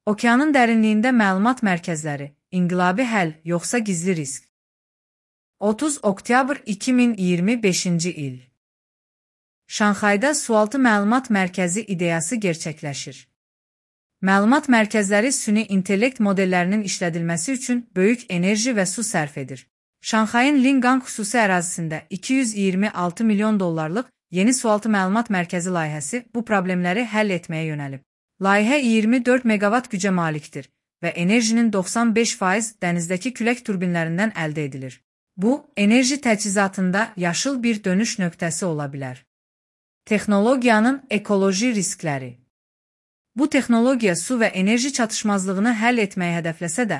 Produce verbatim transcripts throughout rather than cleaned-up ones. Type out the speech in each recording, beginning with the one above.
Okeanın dərinliyində məlumat mərkəzləri, inqilabi həll, yoxsa gizli risk? otuz oktyabr iki min iyirmi beşinci il. Şanxayda sualtı məlumat mərkəzi ideyası gerçəkləşir. Məlumat mərkəzləri süni intellekt modellərinin işlədilməsi üçün böyük enerji və su sərf edir. Şanxayın Lingang xüsusi ərazisində iki yüz iyirmi altı milyon dollarlıq yeni sualtı məlumat mərkəzi layihəsi bu problemləri həll etməyə yönəlib. Layihə iyirmi dörd meqavat gücə malikdir və enerjinin doxsan beş faiz dənizdəki külək turbinlərindən əldə edilir. Bu, enerji təchizatında yaşıl bir dönüş nöqtəsi ola bilər. Texnologiyanın ekoloji riskləri. Bu texnologiya su və enerji çatışmazlığını həll etməyi hədəfləsə də,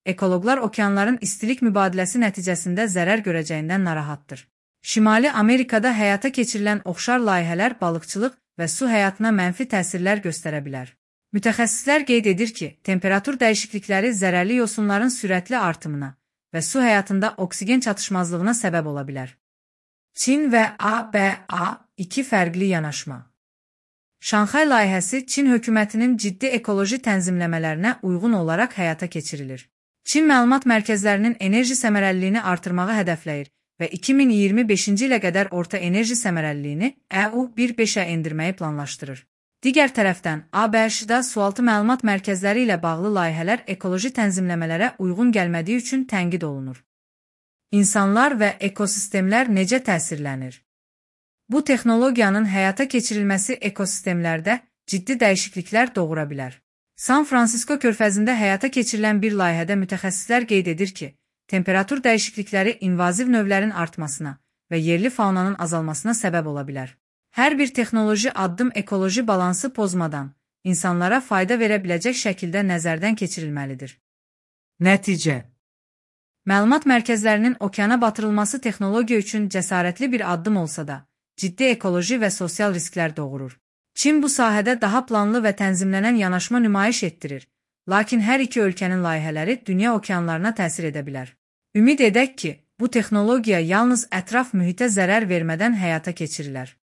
ekoloqlar okeanların istilik mübadiləsi nəticəsində zərər görəcəyindən narahatdır. Şimali Amerikada həyata keçirilən oxşar layihələr balıqçılıq və su həyatına mənfi təsirlər göstərə bilər. Mütəxəssislər qeyd edir ki, temperatur dəyişiklikləri zərərli yosunların sürətli artımına və su həyatında oksigen çatışmazlığına səbəb ola bilər. Çin və A B A iki fərqli yanaşma. Şanxay layihəsi Çin hökumətinin ciddi ekoloji tənzimləmələrinə uyğun olaraq həyata keçirilir. Çin məlumat mərkəzlərinin enerji səmərəliliyini artırmağı hədəfləyir və iki min iyirmi beşinci ilə qədər orta enerji səmərəliliyini E U bir beşə endirməyi planlaşdırır. Digər tərəfdən, A B Ş-da sualtı məlumat mərkəzləri ilə bağlı layihələr ekoloji tənzimləmələrə uyğun gəlmədiyi üçün tənqid olunur. İnsanlar və ekosistemlər necə təsirlənir? Bu texnologiyanın həyata keçirilməsi ekosistemlərdə ciddi dəyişikliklər doğura bilər. San Fransisko körfəzində həyata keçirilən bir layihədə mütəxəssislər qeyd edir ki, temperatur dəyişiklikləri invaziv növlərin artmasına və yerli faunanın azalmasına səbəb ola bilər. Hər bir texnoloji addım ekoloji balansı pozmadan, insanlara fayda verə biləcək şəkildə nəzərdən keçirilməlidir. Nəticə. Məlumat mərkəzlərinin okeana batırılması texnologiya üçün cəsarətli bir addım olsa da, ciddi ekoloji və sosial risklər doğurur. Çin bu sahədə daha planlı və tənzimlənən yanaşma nümayiş etdirir, lakin hər iki ölkənin layihələri dünya okeanlarına təsir edə bilər. Ümid edək ki, bu texnologiya yalnız ətraf mühitə zərər vermədən həyata keçirilər.